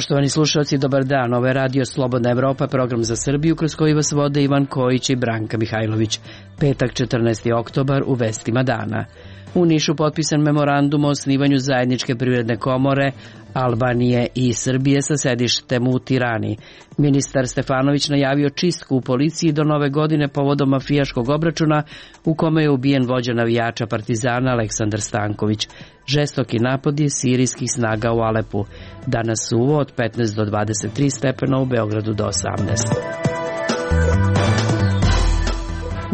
Poštovani slušalci, dobar dan. Ovo je Radio Slobodna Evropa, program za Srbiju kroz koji vas vode Ivan Kojić i Branka Mihajlović. Petak, 14. oktobar, u vestima dana. U Nišu potpisan memorandum o osnivanju zajedničke privredne komore Albanije i Srbije sa sedištem u Tirani. Ministar Stefanović najavio čistku u policiji do nove godine povodom mafijaškog obračuna u kome je ubijen vođa navijača Partizana Aleksandar Stanković. Žestoki napadi sirijskih snaga u Alepu. Danas suvo od 15 do 23 stepena, u Beogradu do 18.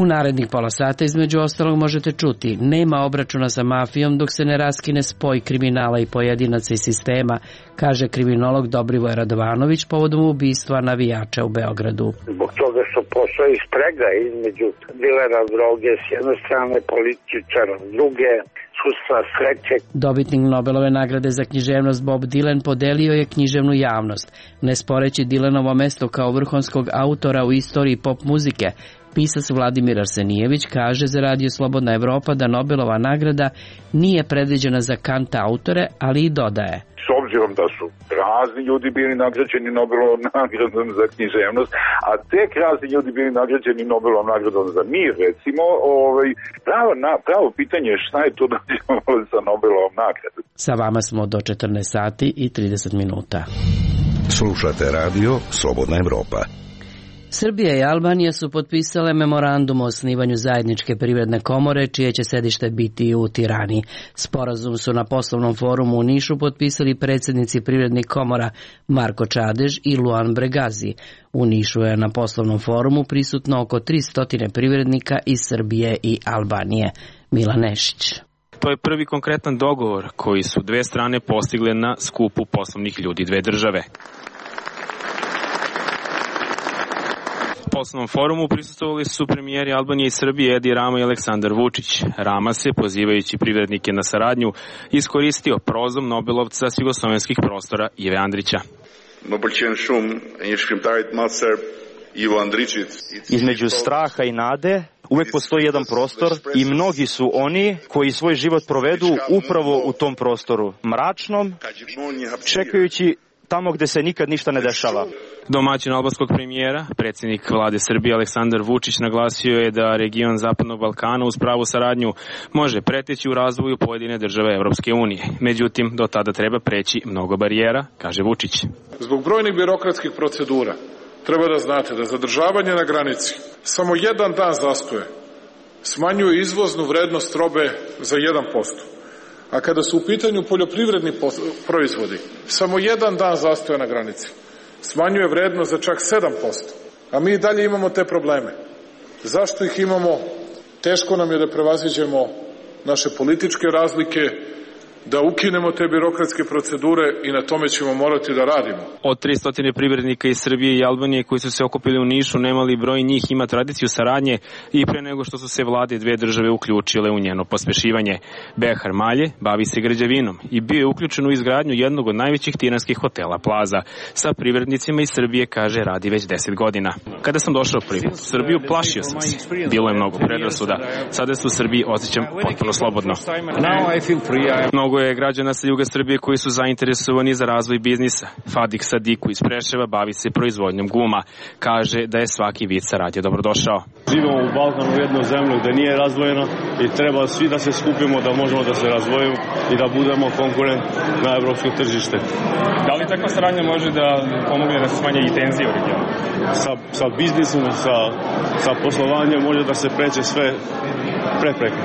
U narednih pola sata između ostalog možete čuti: nema obračuna sa mafijom dok se ne raskine spoj kriminala i pojedinaca i sistema, kaže kriminolog Dobrivoje Radovanović povodom ubistva navijača u Beogradu. Zbog toga što postoji sprega između dilera droge s jedne strane, političara s druge, sudstva sreće. Dobitnik Nobelove nagrade za književnost Bob Dylan podelio je književnu javnost, ne sporeći Dylanovo mesto kao vrhunskog autora u istoriji pop muzike. Pisac Vladimir Arsenijević kaže za Radio Slobodna Evropa da Nobelova nagrada nije predviđena za kanta autore, ali i dodaje: s obzirom da su razni ljudi bili nagrađeni Nobelovom nagradom za književnost, a tek razni ljudi bili nagrađeni Nobelovom nagradom za mir, recimo, pravo pitanje je šta je to dođevalo sa Nobelovom nagradom. Sa vama smo do 14 sati i 30 minuta. Slušate Radio Slobodna Evropa. Srbija i Albanija su potpisale memorandum o osnivanju zajedničke privredne komore, čije će sedište biti u Tirani. Sporazum su na poslovnom forumu u Nišu potpisali predsjednici privrednih komora Marko Čadež i Luan Bregazi. U Nišu je na poslovnom forumu prisutno oko 300 privrednika iz Srbije i Albanije. Milan Nešić. To je prvi konkretan dogovor koji su dve strane postigle na skupu poslovnih ljudi dve države. U poslovnom forumu prisustvovali su premijeri Albanije i Srbije Edi Rama i Aleksandar Vučić. Rama se, pozivajući privrednike na saradnju, iskoristio prozom Nobelovca s jugoslovenskih prostora Ive Andrića. Između straha i nade uvek postoji jedan prostor i mnogi su oni koji svoj život provedu upravo u tom prostoru, mračnom, čekajući tamo gde se nikad ništa ne dešava. Domaćin albanskog premijera, predsjednik vlade Srbije Aleksandar Vučić, naglasio je da region Zapadnog Balkana uz pravu saradnju može preteći u razvoju pojedine države Evropske unije. Međutim, do tada treba preći mnogo barijera, kaže Vučić. Zbog brojnih birokratskih procedura treba da znate da zadržavanje na granici samo jedan dan zastoje smanjuje izvoznu vrednost robe za 1%. A kada su u pitanju poljoprivredni proizvodi, samo jedan dan zastoja na granici smanjuje vrednost za čak 7%. A mi i dalje imamo te probleme. Zašto ih imamo? Teško nam je da prevaziđemo naše političke razlike, da ukinemo te birokratske procedure i na tome ćemo morati da radimo. Od 300 privrednika iz Srbije i Albanije koji su se okupili u Nišu, nemali broj njih ima tradiciju saradnje i pre nego što su se vlade dve države uključile u njeno pospešivanje. Behar Malje bavi se građevinom i bio je uključen u izgradnju jednog od najvećih tiranskih hotela Plaza. Sa privrednicima iz Srbije, kaže, radi već 10 godina. Kada sam došao prvi put u Srbiju, plašio sam se. Bilo je mnogo predrasuda. Sada se u Srbiji osjećam potpuno slobodno. Mnogo je građana sa juga Srbije koji su zainteresovani za razvoj biznisa. Fadik Sadiku iz Preševa bavi se proizvodnjom guma. Kaže da je svaki vid saradnje dobrodošao. Živimo u Balkanu, u jednoj zemlji gde nije razvojeno i treba svi da se skupimo da možemo da se razvojimo i da budemo konkurent na evropsko tržište. Da li takva saradnja može da pomogne da se smanje i tenzije u regionu? Sa biznisom, sa poslovanjem može da se pređe sve prepreke.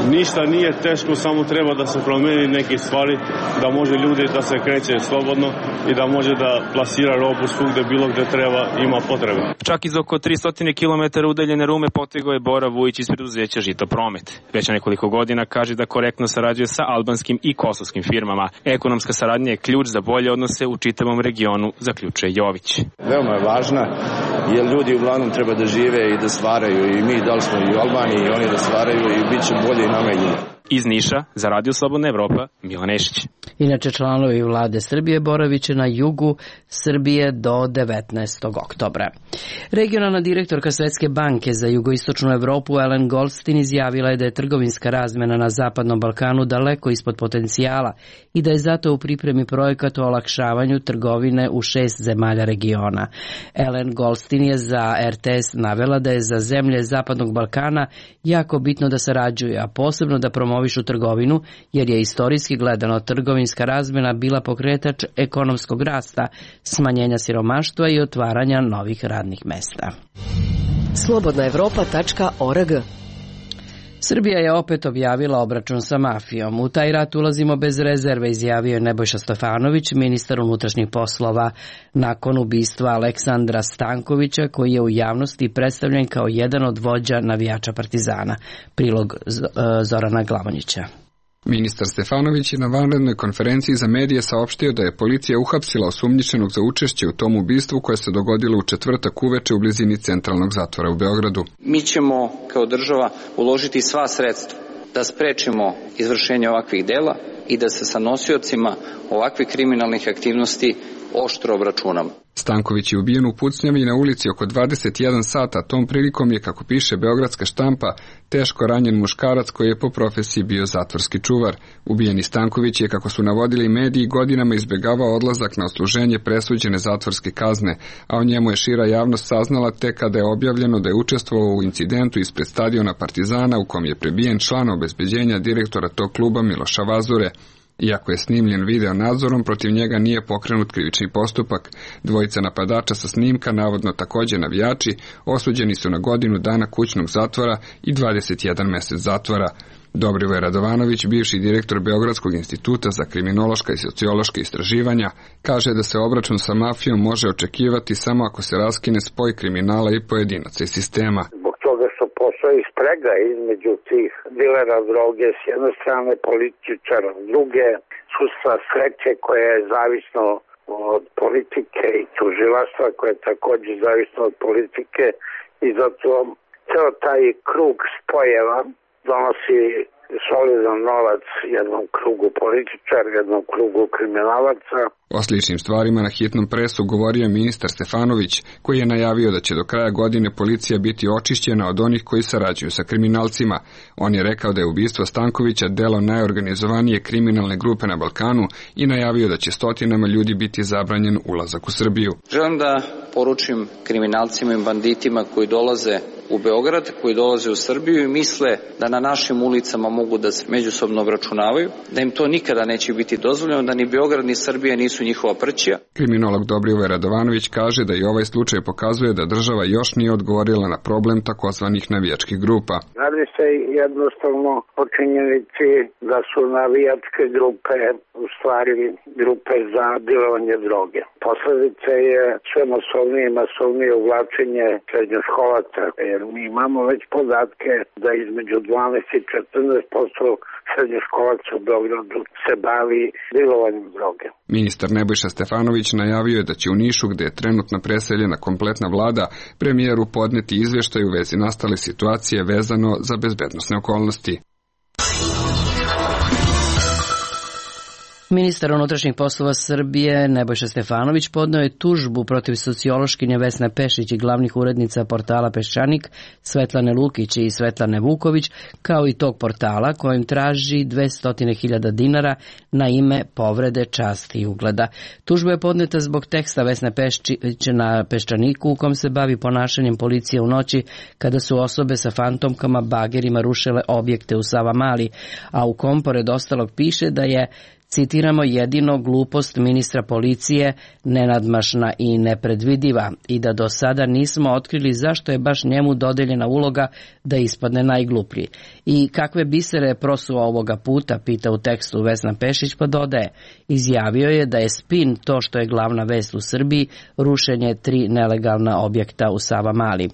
Ništa nije teško, samo treba da se promeni neke stvari, da može ljudi da se kreće slobodno i da može da plasira robu svugde, bilo gde treba, ima potrebe. Čak iz oko 300 km udaljene Rume potegao je Bora Vujić iz preduzeća Žito Promet. Već nekoliko godina kaže da korektno sarađuje sa albanskim i kosovskim firmama. Ekonomska saradnja je ključ za bolje odnose u čitavom regionu, zaključuje Jović. Veoma je važna, jer ljudi uglavnom treba da žive i da stvaraju, i mi da li smo i u Albaniji i oni da stvaraju i bit će bolje i nama i ljudima. Iz Niša, za Radio Slobodna Evropa, Milan Nešić. Inače, članovi vlade Srbije boraviće na jugu Srbije do 19. oktobra. Regionalna direktorka Svetske banke za jugoistočnu Evropu Ellen Goldstein izjavila je da je trgovinska razmena na Zapadnom Balkanu daleko ispod potencijala i da je zato u pripremi projekat o olakšavanju trgovine u 6 zemalja regiona. Ellen Goldstein je za RTS navela da je za zemlje Zapadnog Balkana jako bitno da sarađuju, a posebno da promovišu trgovinu, jer je istorijski gledano trgovinska razmena bila pokretač ekonomskog rasta, smanjenja siromaštva i otvaranja novih radnih mesta. Slobodnaevropa.org. Srbija je opet objavila obračun sa mafijom. U taj rat ulazimo bez rezerve, izjavio je Nebojša Stefanović, ministar unutrašnjih poslova, nakon ubistva Aleksandra Stankovića, koji je u javnosti predstavljen kao jedan od vođa navijača Partizana. Prilog Zorana Glavonjića. Ministar Stefanović je na vanrednoj konferenciji za medije saopštio da je policija uhapsila osumnjičenog za učešće u tom ubistvu koje se dogodilo u četvrtak uveče u blizini centralnog zatvora u Beogradu. Mi ćemo kao država uložiti sva sredstva da sprečimo izvršenje ovakvih dela i da se sa nosiocima ovakvih kriminalnih aktivnosti oštro obračunamo. Stanković je ubijen u pucnjavi na ulici oko 21 sata. Tom prilikom je, kako piše beogradska štampa, teško ranjen muškarac koji je po profesiji bio zatvorski čuvar. Ubijeni Stanković je, kako su navodili mediji, godinama izbjegavao odlazak na odsluženje presuđene zatvorske kazne, a o njemu je šira javnost saznala tek kada je objavljeno da je učestvovao u incidentu ispred stadiona Partizana u kom je prebijen član obezbeđenja direktora tog kluba Miloša Vazure. Iako je snimljen video nadzorom, protiv njega nije pokrenut krivični postupak. Dvojica napadača sa snimka, navodno također navijači, osuđeni su na godinu dana kućnog zatvora i 21 mesec zatvora. Dobrivoje Radovanović, bivši direktor Beogradskog instituta za kriminološka i sociološka istraživanja, kaže da se obračun sa mafijom može očekivati samo ako se raskine spoj kriminala i pojedinaca iz sistema. Toga što postoji sprega između tih dilera droge s jedne strane, političara s druge, sudstva sreće koje je zavisno od politike i tužilaštva koje je također zavisno od politike i zato ceo taj krug spojeva donosi solidan novac jednom krugu političara, jednom krugu kriminalaca. O sličnim stvarima na hitnom presu govorio je ministar Stefanović, koji je najavio da će do kraja godine policija biti očišćena od onih koji sarađuju sa kriminalcima. On je rekao da je ubistvo Stankovića delo najorganizovanije kriminalne grupe na Balkanu i najavio da će stotinama ljudi biti zabranjen ulazak u Srbiju. Želim da poručim kriminalcima i banditima koji dolaze u Beograd, koji dolaze u Srbiju i misle da na našim ulicama mogu da se međusobno obračunavaju, da im to nikada neće biti dozvoljeno, da ni Beograd ni Srbija nisu njihova prćija. Kriminolog Dobrivoje Radovanović kaže da i ovaj slučaj pokazuje da država još nije odgovorila na problem takozvanih navijačkih grupa. Radi se jednostavno o činjenici da su navijačke grupe u stvari grupe za dilovanje droge. Posledica je sve masovnije uvlačenje srednjoškolaca, jer mi imamo već podatke da između 12 i 14% srednjoškolaca u Beogradu se bavi dilovanjem droge. Ministar Nebojša Stefanović najavio je da će u Nišu, gde je trenutno preseljena kompletna vlada, premijeru podneti izveštaj u vezi nastale situacije vezano za bezbednosne okolnosti. Ministar unutrašnjih poslova Srbije Nebojša Stefanović podneo je tužbu protiv sociološkinje Vesne Pešić i glavnih urednica portala Peščanik Svetlane Lukić i Svetlane Vuković, kao i tog portala kojim traži 200.000 dinara na ime povrede časti i ugleda. Tužba je podneta zbog teksta Vesne Pešić na Peščaniku u kom se bavi ponašanjem policije u noći kada su osobe sa fantomkama bagerima rušile objekte u Savamali, a u kom pored ostalog piše da je, citiramo, jedino glupost ministra policije nenadmašna i nepredvidiva i da do sada nismo otkrili zašto je baš njemu dodeljena uloga da ispadne najgluplji. I kakve bisere prosuo ovoga puta, pita u tekstu Vesna Pešić, pa dodaje. Izjavio je da je spin to što je glavna vest u Srbiji, rušenje 3 nelegalna objekta u Savamali.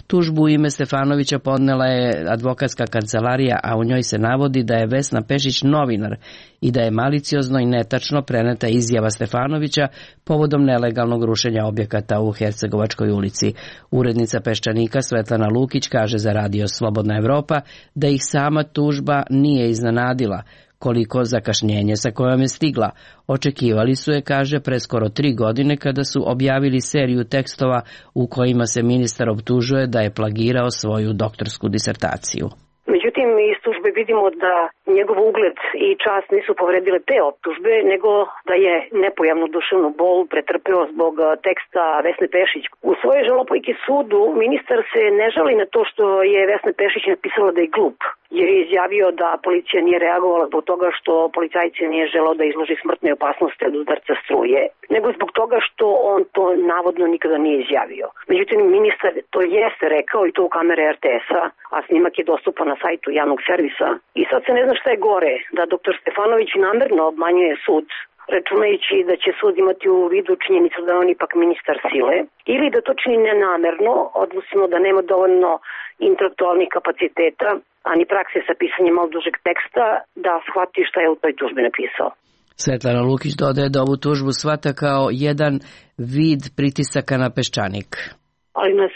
Tužbu u ime Stefanovića podnela je advokatska kancelarija, a u njoj se navodi da je Vesna Pešić novinar i da je maliciozno maliciozno i netačno preneta izjava Stefanovića povodom nelegalnog rušenja objekata u Hercegovačkoj ulici. Urednica Peščanika Svetlana Lukić kaže za Radio Slobodna Evropa da ih sama tužba nije iznenadila. Koliko zakašnjenje sa kojom je stigla. Očekivali su je, kaže, pre skoro 3 godine kada su objavili seriju tekstova u kojima se ministar optužuje da je plagirao svoju doktorsku disertaciju. Međutim, iz tužbe vidimo da njegov ugled i čast nisu povredile te optužbe, nego da je nepojavnu duševnu bol pretrpeo zbog teksta Vesne Pešić. U svojoj žalopojki sudu ministar se ne žali na to što je Vesna Pešić napisala da je glup, jer je izjavio da policija nije reagovala zbog toga što policajci nije želeo da izloži smrtnoj opasnosti od udarca struje, nego zbog toga što on to navodno nikada nije izjavio. Međutim, ministar to jeste rekao i to u kamere RTS-a, a snimak je dostupan na sajtu javnog servisa. I sad se ne zna šta je gore, da dr. Stefanović namerno obmanjuje sud, računajući da će sud imati u vidu činjenicu da on ipak ministar sile, ili da to čini nenamerno, odnosno da nema dovoljno intelektualnih kapaciteta, a ni prakse sa pisanjem malo dužeg teksta, da shvati šta je u toj tužbi napisao. Svetlana Lukić dodaje da ovu tužbu shvata kao jedan vid pritisaka na Peščanik. Ali nas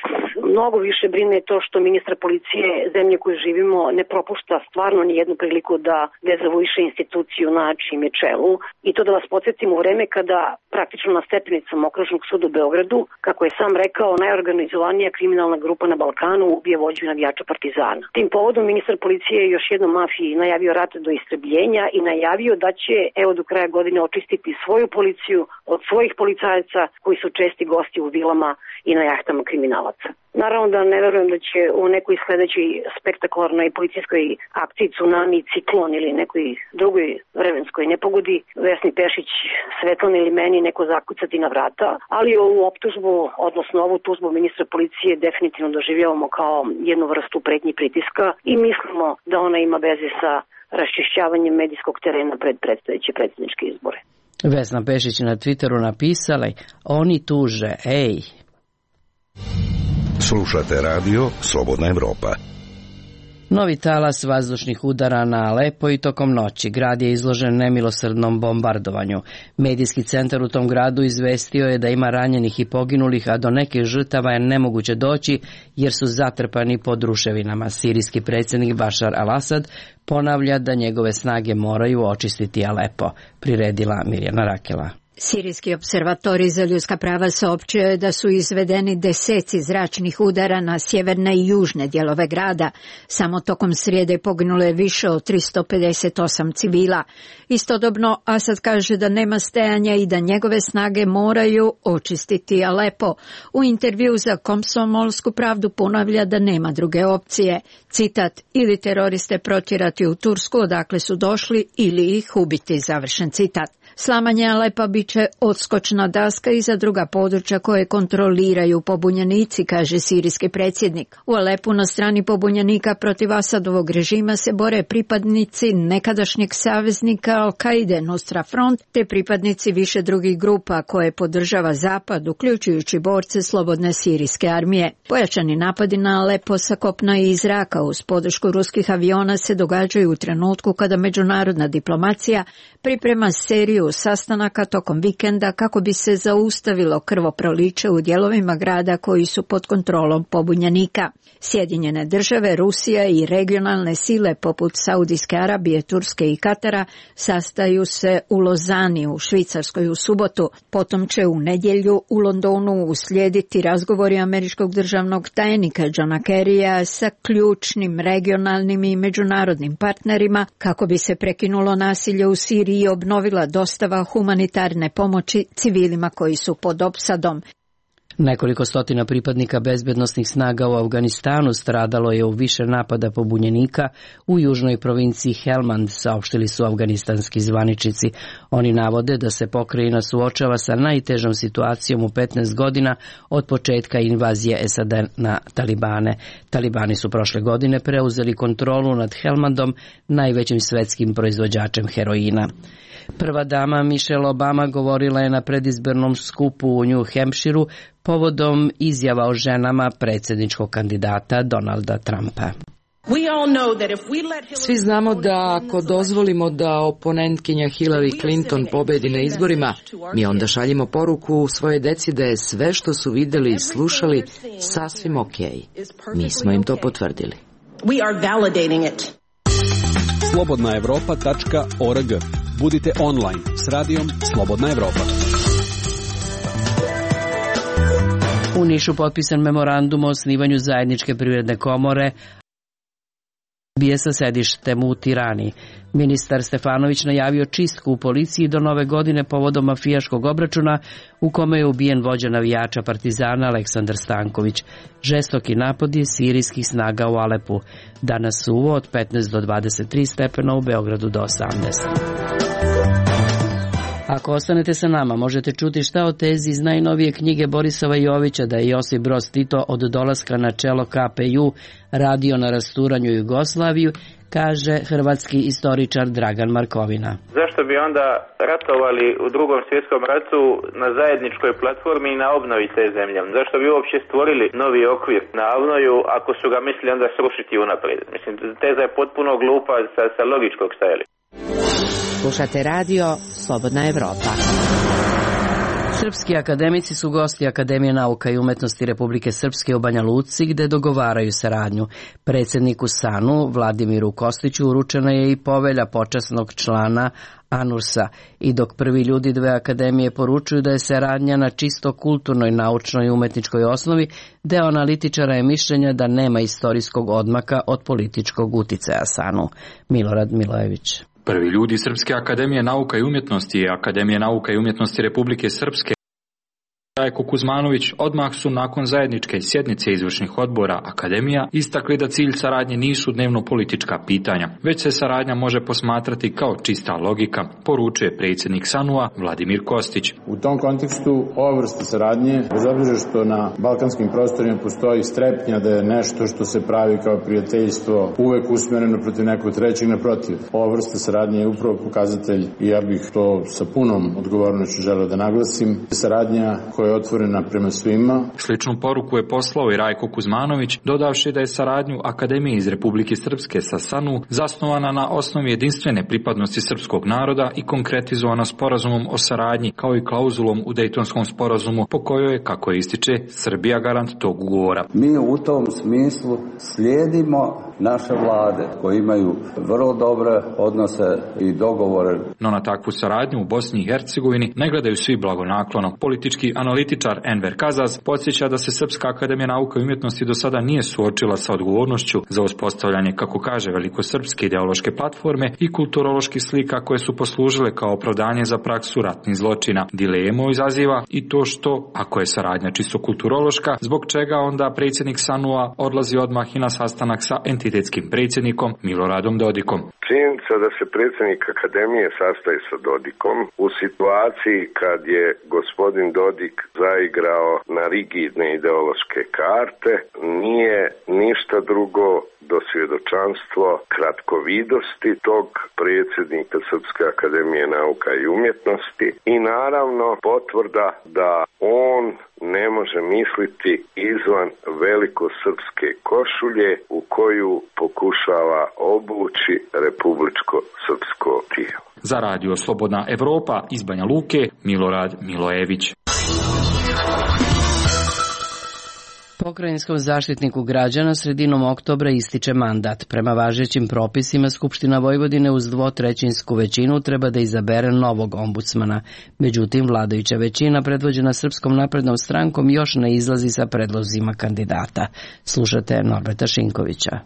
mnogo više brine to što ministar policije zemlje koju živimo ne propušta stvarno ni jednu priliku da dezavuiše instituciju na čijem je čelu. I to da vas podsjetim u vreme kada praktično na stepenicama Okružnog suda u Beogradu, kako je sam rekao, najorganizovanija kriminalna grupa na Balkanu ubije vođu navijača Partizana. Tim povodom ministar policije je još jednom mafiji najavio rat do istrebljenja i najavio da će evo do kraja godine očistiti svoju policiju od svojih policajaca koji su česti gosti u vilama i na jahtama kriminalaca. Naravno da ne verujem da će u nekoj sledećoj spektakularnoj policijskoj akciji Tsunami, Ciklon ili nekoj drugoj vremenskoj nepogodi Vesni Pešić, Svetlana ili meni neko zakucati na vrata, ali ovu optužbu, odnosno ovu tužbu ministra policije definitivno doživljavamo kao jednu vrstu pretnji pritiska i mislimo da ona ima veze sa raščišćavanjem medijskog terena pred predstojeće predsjedničke izbore. Vesna Pešić na Twitteru napisala: oni tuže, ej. Slušate Radio Slobodna Evropa. Novi talas vazdušnih udara na Alepo i tokom noći. Grad je izložen nemilosrdnom bombardovanju. Medijski centar u tom gradu izvestio je da ima ranjenih i poginulih, a do nekih žrtava je nemoguće doći jer su zatrpani pod ruševinama. Sirijski predsjednik Bašar al-Asad ponavlja da njegove snage moraju očistiti Alepo. Priredila Mirjana Rakela. Sirijski observatorij za ljudska prava saopćio je da su izvedeni deseci zračnih udara na sjeverne i južne dijelove grada. Samo tokom srijede poginulo je više od 358 civila. Istodobno Asad kaže da nema stajanja i da njegove snage moraju očistiti Alepo. U intervju za Komsomolsku pravdu ponavlja da nema druge opcije. Citat: ili teroriste protjerati u Tursku odakle su došli ili ih ubiti, završen citat. Slamanje Alepa bit će odskočna daska i za druga područja koje kontroliraju pobunjenici, kaže sirijski predsjednik. U Alepu na strani pobunjenika protiv Asadovog režima se bore pripadnici nekadašnjeg saveznika Al-Kaide Nusra Front te pripadnici više drugih grupa koje podržava Zapad, uključujući borce Slobodne sirijske armije. Pojačani napadi na Alepo sa kopna i iz zraka uz podršku ruskih aviona se događaju u trenutku kada međunarodna diplomacija priprema seriju sastanaka tokom vikenda kako bi se zaustavilo krvoproliće u dijelovima grada koji su pod kontrolom pobunjenika. Sjedinjene države, Rusija i regionalne sile poput Saudijske Arabije, Turske i Katara sastaju se u Lozani u Švicarskoj u subotu. Potom će u nedjelju u Londonu uslijediti razgovori američkog državnog tajnika Johna Kerrya sa ključnim regionalnim i međunarodnim partnerima kako bi se prekinulo nasilje u Siriji i obnovila dostava humanitarne pomoći civilima koji su pod opsadom. Nekoliko stotina pripadnika bezbednosnih snaga u Afganistanu stradalo je u više napada pobunjenika u južnoj provinciji Helmand, saopštili su afganistanski zvaničnici. Oni navode da se pokrajina suočava sa najtežom situacijom u 15 godina od početka invazije SAD na Talibane. Talibani su prošle godine preuzeli kontrolu nad Helmandom, najvećim svetskim proizvođačem heroina. Prva dama Michelle Obama govorila je na predizbornom skupu u New Hampshireu povodom izjava o ženama predsjedničkog kandidata Donalda Trumpa. Svi znamo da ako dozvolimo da oponentkinja Hillary Clinton pobedi na izborima, mi onda šaljimo poruku svoje deci da je sve što su videli i slušali sasvim okej. Mi smo im to potvrdili. slobodnaevropa.org. Budite online s radijom Slobodna Evropa. U Nišu potpisan memorandum o osnivanju zajedničke privredne komore bije sa sedištem u Tirani. Ministar Stefanović najavio čistku u policiji do nove godine povodom mafijaškog obračuna u kome je ubijen vođa navijača Partizana Aleksandar Stanković. Žestoki napad je sirijskih snaga u Alepu. Danas suvo od 15 do 23 stepena, u Beogradu do 18. Ako ostanete sa nama, možete čuti šta o tezi iz najnovije knjige Borisova Jovića da je Josip Broz Tito od dolaska na čelo KPJ radio na rasturanju Jugoslaviju, kaže hrvatski istoričar Dragan Markovina. Zašto bi onda ratovali u Drugom svjetskom ratu na zajedničkoj platformi i na obnovi te zemlje? Zašto bi uopće stvorili novi okvir na obnoju ako su ga mislili onda srušiti unaprijed? Mislim, teza je potpuno glupa sa logičkog stajališta. Slušate radio Slobodna Evropa. Srpski akademici su gosti Akademije nauka i umetnosti Republike Srpske u Banja Luci, gde dogovaraju saradnju. Predsjedniku SANU Vladimiru Kostiću uručena je i povelja počasnog člana ANURS-a. I dok prvi ljudi dve akademije poručuju da je saradnja na čisto kulturnoj, naučnoj i umetničkoj osnovi, deo analitičara je mišljenja da nema istorijskog odmaka od političkog uticaja SANU. Milorad Milojević. Prvi ljudi Srpske akademije nauka i umjetnosti i Akademije nauka i umjetnosti Republike Srpske Rajko Kuzmanović odmah su nakon zajedničke sjednice izvršnih odbora akademija istakli da cilj saradnje nisu dnevno politička pitanja, već se saradnja može posmatrati kao čista logika, poručuje predsjednik SANU-a Vladimir Kostić. U tom kontekstu ova vrsta saradnje, bez obzira što na balkanskim prostorima postoji strepnja da je nešto što se pravi kao prijateljstvo uvek usmjereno protiv nekog trećeg, naprotiv. Ova vrsta saradnje je upravo pokazatelj, i ja bih to sa punom odgovornošću želeo da naglasim, saradnja koja je otvorena prema svima. Sličnu poruku je poslao i Rajko Kuzmanović, dodavši da je saradnju Akademije iz Republike Srpske sa SANU zasnovana na osnovi jedinstvene pripadnosti srpskog naroda i konkretizovana sporazumom o saradnji, kao i klauzulom u Dejtonskom sporazumu, po kojoj je, kako ističe, Srbija garant tog ugovora. Mi u tom smislu slijedimo naše vlade koje imaju vrlo dobre odnose i dogovore. No na takvu saradnju u Bosni i Hercegovini ne gledaju svi blagonaklono. Politički analitičar Enver Kazaz podsjeća da se Srpska akademija nauka i umjetnosti do sada nije suočila sa odgovornošću za uspostavljanje, kako kaže, velikosrpske ideološke platforme i kulturoloških slika koje su poslužile kao opravdanje za praksu ratnih zločina. Dilemu izaziva i to što, ako je saradnja čisto kulturološka, zbog čega onda predsjednik SANU-a odlazi odmah i na sastanak sa entitetskim predsjednikom Miloradom Dodikom. Činjenica da se predsjednik akademije sastaje sa Dodikom u situaciji kad je gospodin Dodik zaigrao na rigidne ideološke karte nije ništa drugo do svjedočanstvo kratkovidosti tog predsjednika Srpske akademije nauka i umjetnosti i naravno potvrda da on ne može misliti izvan velikosrpske košulje u koju pokušava obući republičko srpsko tijelo. Za radio Slobodna Evropa iz Banja Luke, Milorad Milojević. Pokrajinskom zaštitniku građana sredinom oktobra ističe mandat. Prema važećim propisima, Skupština Vojvodine uz 2/3 većinu treba da izabere novog ombudsmana. Međutim, vladajuća većina predvođena Srpskom naprednom strankom još ne izlazi sa predlozima kandidata. Slušate Norberta Šinkovića.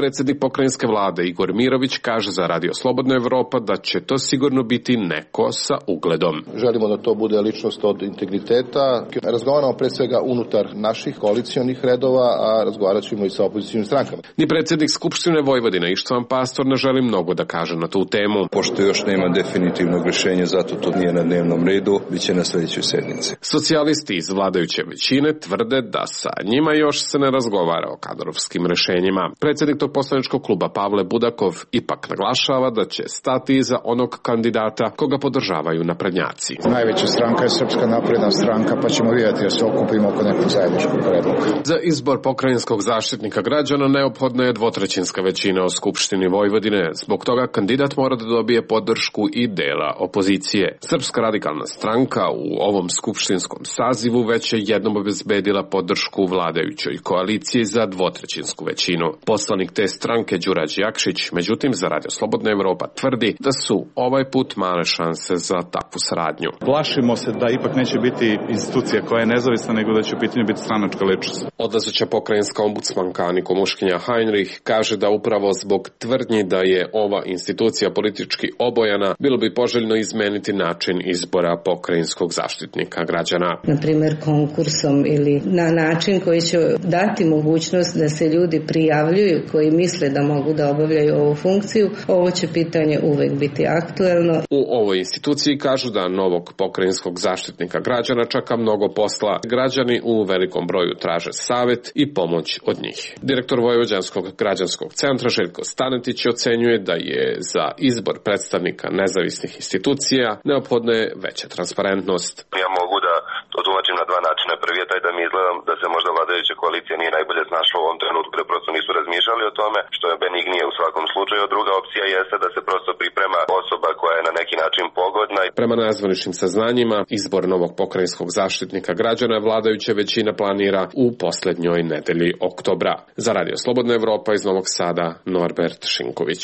Predsjednik pokrajinske vlade Igor Mirović kaže za Radio Slobodna Evropa da će to sigurno biti neko sa ugledom. Želimo da to bude ličnost od integriteta. Razgovaramo pre svega unutar naših koalicijonih redova, a razgovarat ćemo i sa opozicijnim strankama. Ni predsjednik Skupštine Vojvodine Ištvan Pastor ne želi mnogo da kaže na tu temu. Pošto još nema definitivnog rješenja, zato to nije na dnevnom redu, bit će na sljedećoj sednici. Socijalisti iz vladajuće većine tvrde da sa njima još se ne razgovara o kadrovskim rješenjima. Predsjednik koordinator poslaničkog kluba Pavle Budakov ipak naglašava da će stati iza onog kandidata koga podržavaju naprednjaci. Najveća stranka je Srpska napredna stranka, pa ćemo vidjeti da se okupimo oko nekog zajedničkog predloga. Za izbor pokrajinskog zaštitnika građana neophodna je dvotrećinska većina u Skupštini Vojvodine. Zbog toga kandidat mora da dobije podršku i dela opozicije. Srpska radikalna stranka u ovom skupštinskom sazivu već je jednom obezbedila podršku vladajućoj koaliciji za dvotrećinsku većinu. Poslanik te stranke Đurađ Jakšić, međutim, za Radio Slobodna Evropa tvrdi da su ovaj put male šanse za takvu saradnju. Plašimo se da ipak neće biti institucija koja je nezavisna, nego da će u pitanju biti stranačka ličnost. Odlazeća pokrajinska ombudsmanka Aniko Muškinja Heinrich kaže da upravo zbog tvrdnji da je ova institucija politički obojana, bilo bi poželjno izmeniti način izbora pokrajinskog zaštitnika građana. Na primjer konkursom ili na način koji će dati mogućnost da se ljudi prijavljuju koji misle da mogu da obavljaju ovu funkciju. Ovo će pitanje uvek biti aktuelno. U ovoj instituciji kažu da novog pokrajinskog zaštitnika građana čeka mnogo posla. Građani u velikom broju traže savet i pomoć od njih. Direktor Vojvođanskog građanskog centra Željko Stanetić ocenjuje da je za izbor predstavnika nezavisnih institucija neophodna je veća transparentnost. Ja mogu da to tumačim na dva načina. Prvi je taj da mi izgleda da se možda vladajuća koalicija nije najbolje snašla u ovom trenutku, da prosto nisu razmišljali o tome, što je benignije u svakom slučaju. Druga opcija jeste da se prosto priprema osoba koja je na neki način pogodna. Prema nezvaničnim saznanjima, izbor novog pokrajinskog zaštitnika građana vladajuća većina planira u poslednjoj nedelji oktobra. Za Radio Slobodna Evropa iz Novog Sada, Norbert Šinković.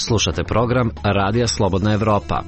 Slušate program Radija Slobodna Evropa.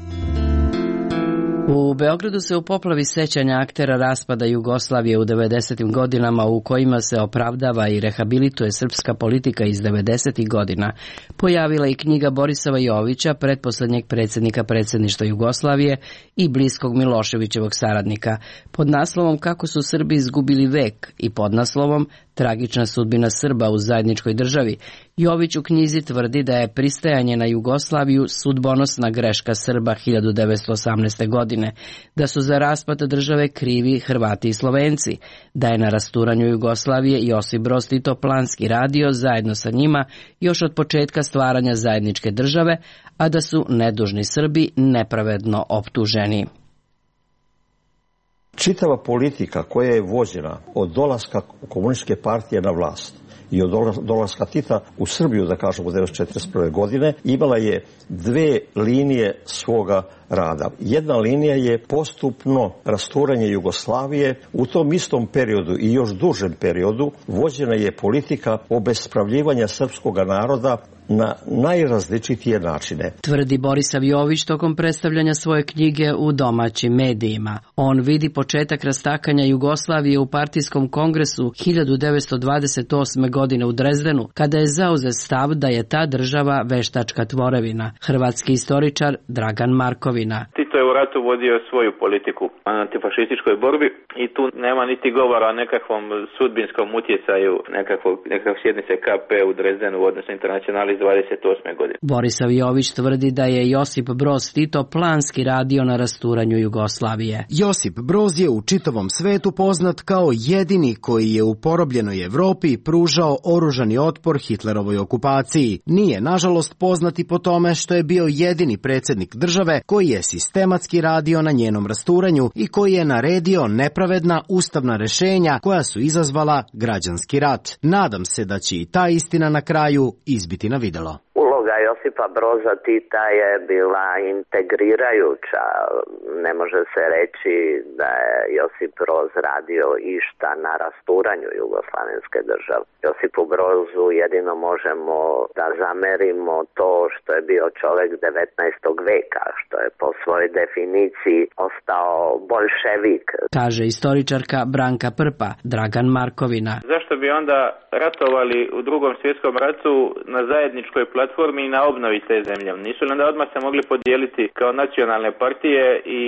U Beogradu se u poplavi sećanja aktera raspada Jugoslavije u 90. godinama u kojima se opravdava i rehabilituje srpska politika iz 90. godina pojavila i knjiga Borisova Jovića, pretposlednjeg predsjednika predsjedništva Jugoslavije i bliskog Miloševićevog saradnika, pod naslovom Kako su Srbi izgubili vek i pod naslovom Tragična sudbina Srba u zajedničkoj državi. Jović u knjizi tvrdi da je pristajanje na Jugoslaviju sudbonosna greška Srba 1918. godine, da su za raspad države krivi Hrvati i Slovenci, da je na rasturanju Jugoslavije Josip Broz Tito planski radio zajedno sa njima još od početka stvaranja zajedničke države, a da su nedužni Srbi nepravedno optuženi. Čitava politika koja je vođena od dolaska komunističke partije na vlast i od dolaska Tita u Srbiju, da kažemo, 1941. godine, imala je dve linije svoga rada. Jedna linija je postupno rasturanje Jugoslavije. U tom istom periodu i još dužem periodu vođena je politika obespravljivanja srpskog naroda na najrazličitije načine. Tvrdi Borisav Jović tokom predstavljanja svoje knjige u domaćim medijima. On vidi početak rastakanja Jugoslavije u partijskom kongresu 1928. godine u Drezdenu, kada je zauzet stav da je ta država veštačka tvorevina. Hrvatski istoričar Dragan Markovina. Tito je u ratu vodio svoju politiku na antifašističkoj borbi i tu nema niti govora o nekakvom sudbinskom utjecaju nekakve sjednice KP u Drezdenu u odnosu internacionali iz 28. godine. Borisav Jović tvrdi da je Josip Broz Tito planski radio na rasturanju Jugoslavije. Josip Broz je u čitavom svetu poznat kao jedini koji je u porobljenoj Evropi pružao oružani otpor Hitlerovoj okupaciji. Nije, nažalost, poznat i po tome što je bio jedini predsjednik države koji je sistematski radio na njenom rasturanju i koji je naredio nepravedna ustavna rešenja koja su izazvala građanski rat. Nadam se da će i ta istina na kraju izbiti na videlo. Uloga Josipa Broza Tita je bila integrirajuća. Ne može se reći da je Josip Broz radio išta na rasturanju jugoslavenske države. Josipu Brozu jedino možemo da zamerimo to što je bio čovjek 19. veka, što je po svojoj definiciji ostao bolševik. Kaže istoričarka Branka Prpa, Dragan Markovina. Zašto bi onda ratovali u Drugom svjetskom ratu na zajedničkoj platformi i na obnovi te zemlje? Nisu li onda odmah se mogli podijeliti kao nacionalne partije i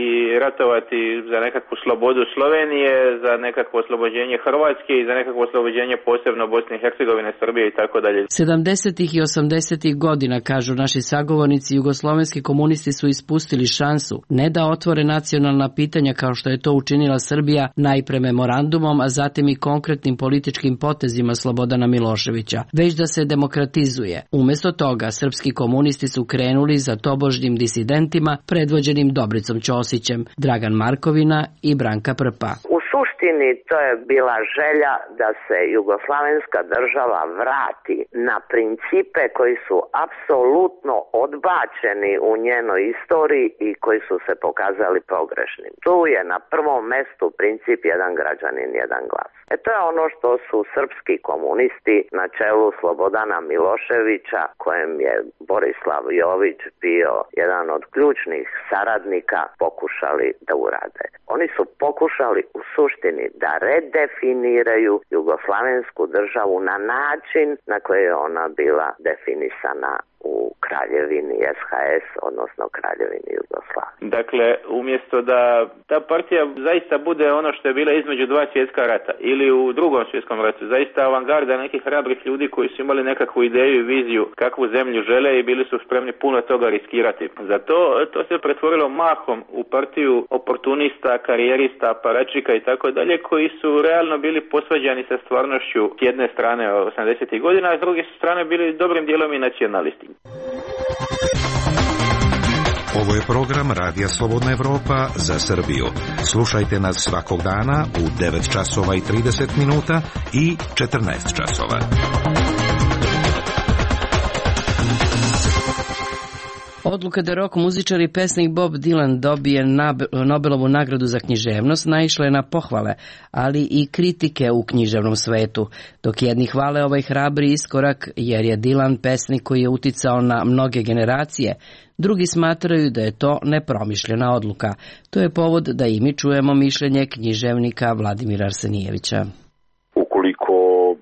ratovati za nekakvu slobodu slobodu Slovenije, za nekakvo oslobođenje Hrvatske i za nekakvo oslobođenje posebno Bosne i Hercegovine, Srbije i tako dalje. 70. i 80. godina, kažu naši sagovornici, jugoslovenski komunisti su ispustili šansu ne da otvore nacionalna pitanja kao što je to učinila Srbija najpre memorandumom, a zatim i konkretnim političkim potezima Slobodana Miloševića, već da se demokratizuje. Umjesto toga, srpski komunisti su krenuli za tobožnjim disidentima predvođenim Dobricom Ćosićem, Dragan Markovina i Branka Prpa. U suštini to je bila želja da se jugoslavenska država vrati na principe koji su apsolutno odbačeni u njenoj istoriji i koji su se pokazali pogrešnim. Tu je na prvom mestu princip jedan građanin, jedan glas. To je ono što su srpski komunisti na čelu Slobodana Miloševića, kojem je Borislav Jović bio jedan od ključnih saradnika, pokušali da urade. Oni su pokušali u suštini da redefiniraju jugoslavensku državu na način na koji je ona bila definisana u Kraljevini SHS, odnosno Kraljevini Jugoslavije. Dakle, umjesto da ta partija zaista bude ono što je bila između dva svjetska rata ili u drugom svjetskom ratu, zaista avangarda nekih hrabrih ljudi koji su imali nekakvu ideju i viziju kakvu zemlju žele i bili su spremni puno toga riskirati. Zato to se pretvorilo mahom u partiju oportunista, karijerista, aparačika i tako dalje, koji su realno bili posvađani sa stvarnošću s jedne strane 80. godina, a s druge strane bili dobrim dijelom i nacionalisti. Ovo je program Radija Slobodna Evropa za Srbiju. Slušajte nas svakog dana u 9 časova i 30 minuta i 14 časova. Odluka da rock muzičar i pesnik Bob Dylan dobije Nobelovu nagradu za književnost naišla je na pohvale, ali i kritike u književnom svetu, dok jedni hvale ovaj hrabri iskorak jer je Dylan pesnik koji je uticao na mnoge generacije, drugi smatraju da je to nepromišljena odluka. To je povod da i mi čujemo mišljenje književnika Vladimira Arsenijevića. Ukoliko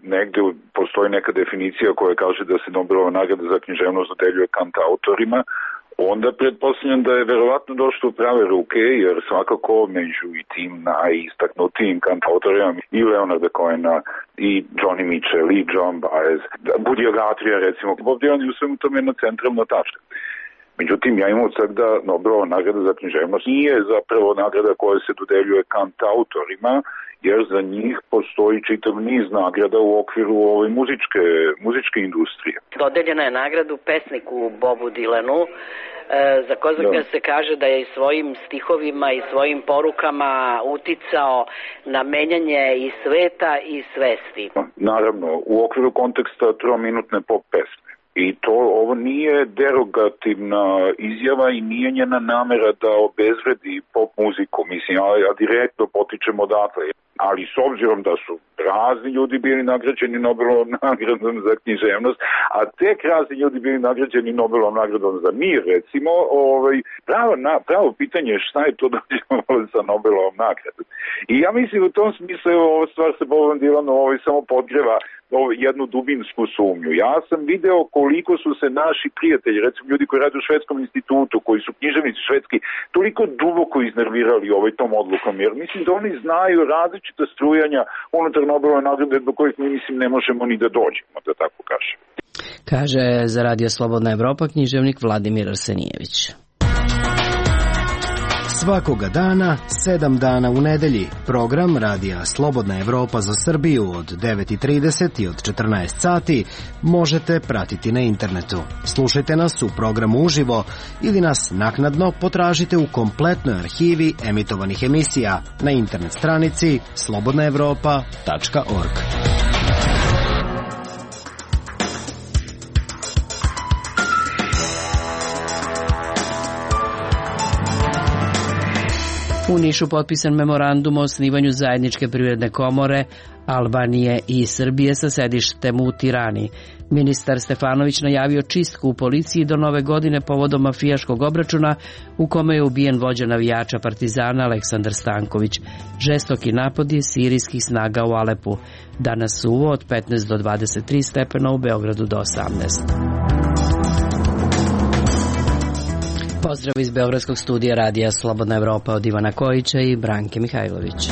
negde postoji neka definicija koja kaže da se Nobelova nagrada za književnost dodeljuje kantautorima, onda pretpostavljam da je verovatno došlo u prave ruke, jer svakako među i tim najistaknutijim kantautorima i Leonarda Cohena, i Johnny Mitchell, i John Baez, Budija Guthrie, recimo, Bob Dylan je u svemu tome jedna centralna tačka. Međutim, ja imam odsek da Nobelova nagrada za književnost nije zapravo nagrada koja se dodeljuje kantautorima, jer za njih postoji čitav niz nagrada u okviru ove muzičke industrije. Dodeljena je nagradu pesniku Bobu Dylanu, za koga se kaže da je i svojim stihovima i svojim porukama uticao na menjanje i sveta i svesti. Naravno, u okviru konteksta trominutne pop pesme. I ovo nije derogativna izjava i nije njena namera da obezvredi pop muziku. Mislim, ja direktno potičem odatle. Ali s obzirom da su razni ljudi bili nagrađeni Nobelovom nagradom za književnost, a tek razni ljudi bili nagrađeni Nobelovom nagradom za mir, recimo, pravo pitanje je šta je to dođemo sa Nobelovom nagradom. I ja mislim u tom smislu ova stvar sa Bobom Dylanom samo podgreva jednu dubinsku sumnju. Ja sam video koliko su se naši prijatelji, recimo ljudi koji rade u Švedskom institutu, koji su književnici švedski, toliko duboko iznervirali tom odlukom, jer mislim da oni znaju različita strujanja unutar Nobelove nagrade do kojih mi mislim ne možemo ni da dođemo, da tako kažem. Kaže za Radio Slobodna Evropa književnik Vladimir Arsenijević. Svakoga dana, 7 dana u nedelji, program Radija Slobodna Evropa za Srbiju od 9:30 i od 14 sati možete pratiti na internetu. Slušajte nas u programu uživo ili nas naknadno potražite u kompletnoj arhivi emitovanih emisija na internet stranici slobodnaevropa.org. U Nišu potpisan memorandum o osnivanju zajedničke privredne komore Albanije i Srbije sa sedištem u Tirani. Ministar Stefanović najavio čistku u policiji do nove godine povodom mafijaškog obračuna u kome je ubijen vođa navijača Partizana Aleksandar Stanković. Žestoki napad je sirijskih snaga u Alepu. Danas suvo od 15 do 23 stepena, u Beogradu do 18. Pozdrav iz Beogradskog studija radija Slobodna Evropa od Ivana Kojića i Branke Mihajlović.